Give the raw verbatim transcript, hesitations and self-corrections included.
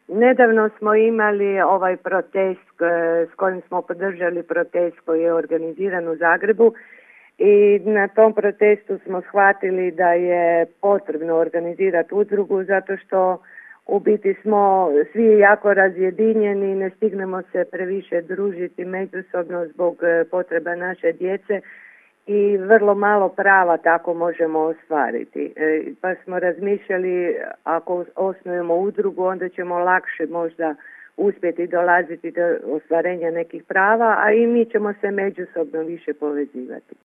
Nedavno smo imali ovaj protest e, s kojim smo podržali protest koji je organiziran u Zagrebu i na tom protestu smo shvatili da je potrebno organizirati udrugu zato što u biti smo svi jako razjedinjeni, ne stignemo se previše družiti međusobno zbog e, potreba naše djece i vrlo malo prava tako možemo ostvariti. E, pa smo razmišljali, ako osnujemo udrugu, onda ćemo lakše možda uspjeti dolaziti do ostvarenja nekih prava, a i mi ćemo se međusobno više povezivati.